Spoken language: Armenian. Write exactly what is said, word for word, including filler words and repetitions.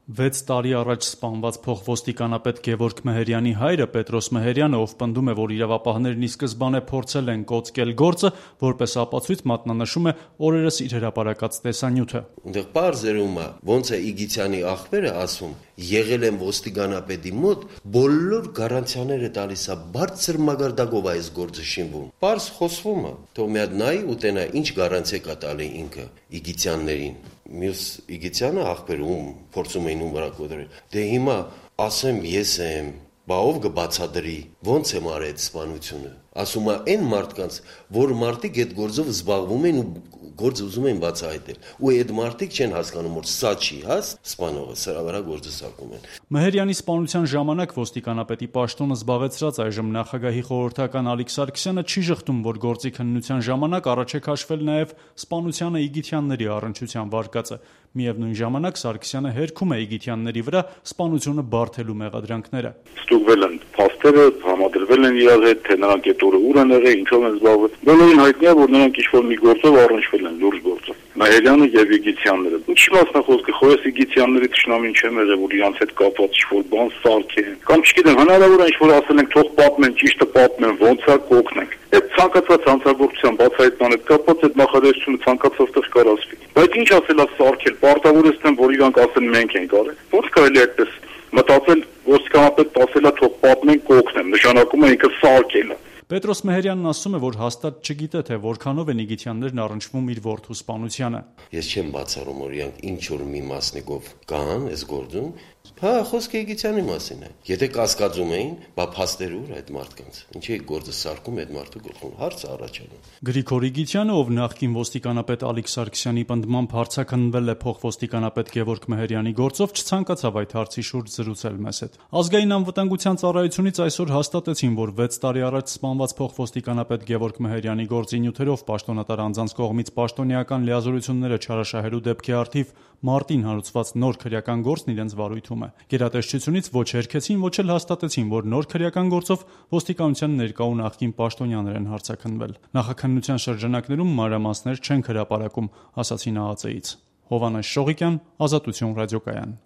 Վեց տարի առաջ սպանված փոխոստիկանապետ Գևորգ Մեհերյանի հայրը Պետրոս Մեհերյանը, ով պնդում է, որ իրավապահներն ի սկզբանե փորձել են կոծկել գործը, որպես ապացույց մատնանշում է օրերս իր հրապարակած տեսանյութը. Այնտեղ պարզերում է, ոնց է Իգիթյանի աղբերը ասում, եղել են ոստիկանապետի մոտ, բոլոր գարանտիաները տալիս է, բարձր մագարտակով այս գործը շինվում։ Պարզ խոսվում է, թող մի հատ նայի ու տենա ինչ գարանտիա կա տալի ինքը Իգիթյաններին։ Մյուս Իգիթյանը աղբերում փորձում էին ու վրա կոտրել։ Դե հիմա ասեմ ես եմ, բա ով կբացատրի, ոնց եմ արել այդ սպանությունը։ Ասում է այն մարդկանց, որ մարդիկ այդ գործով զբաղվում են ու գործը ուզում են բացահայտել։ Ու այդ մարդիկ չեն հասկանում, որ սա չի հաս, սպանողը սրա վրա գործը սարքում են։ Մեհերյանի սպանության ժամանակ ոստիկանապետի պաշտոնը զբաղեցրած այժմ նախագահի խորհրդական Ալիկ Սարգսյանը չի ժխտում, որ գործի քննության ժամանակ առաջ է քաշվել նաև սպանությանը Իգիթյանների առնչության վարկածը։ Միևնույն ժամանակ Սարգսյանը հերքում է Իգիթյանների վրա սպանությունը բարդելու մեղադրանքները։ Ստուգվել են փաստերը, համադրվել են իրար հետ, թե նրանք այդ օրը ուր են եղել, ինչով են զբաղվել։ Բոլորին հայտնի է, որ նրանք ինչ-որ մի գործով առնչվել են, լուրջ գործով։ Մեհերյանը եւ Իգիթյանները։ Ինչի՞ մասն է խոսքը, խոյս Իգիթյանների ճշնամին չեմ եղել, որ իրանց հետ կապված ինչ-որ բան սարքեն։ Կամ չգիտեմ, հնարավոր է ինչ-որ ասել են, թող պատմեն, ճիշտը պատմեն, ոնց է կօգնենք։ Այդ ցանկացած հանցագործության բացահայտման հետ կապված այդ նախադասությունը ցանկացած տեղ կարասվի։ Բայց ինչ ասել է սարքել, պարտավորեցնեմ, որ իրանք ասեն մենք ենք արել։ Ոնց կարելի է այդպես մտածել, ոստիկանապետը ասել է թող պատմեն, կօգնեն, նշանակում է ինքը սարքել է։ Պետրոս Մեհերյանն ասում է, որ հաստատ չգիտե, թե որքանով են Իգիթյաններն առնչվում իր որդու սպանությանը։ Ես չեմ բացառում, որ իրանք ինչ որ մի մասնիկով կան այս գործում, հա, խոսքը Իգիթյանի մասին է։ Եթե կասկածում էին, բա փաստեր ուր այդ մարդկանց։ Ինչի է գործը սարքում այդ մարդու գլխում, հարցը առաջանում։ Գրիգոր Իգիթյանը, ով նախկին ոստիկանապետ Ալիկ Սարգսյանի պնդմամբ հարցաքննվել է փոխոստիկանապետ Գևորգ Մեհերյանի գործով, չցանկացավ այդ հարցի շուրջ զրուցել մեզ հետ։ Ազգային անվտանգության ծառայությունից այսօր հաստատեցին, որ վեց տարի առաջ սպանված փոխոստիկանապետ Գևորգ Մեհերյանի գործի նյութերով պաշտոնատար անձանց կողմից պաշտոնեական լիազորությունները չարաշահելու դեպքի առթիվ մարտին հարուցված նոր քրեական գործն իրենց վարույթում է։ Գերատեսչությունից ոչ հերքեցին, ոչ էլ հաստատեցին, որ նոր քրեական գործով ոստիկանության ներկա ու նախկին պաշտոնյաներ են հարցաքննվել։ Նախաքննության շրջանակներում մանրամասներ չեն հրապարակում, ասացին ԱԱԾ-ից։ Հովհաննես Շողիկյան, Ազատություն ռադիոկայան։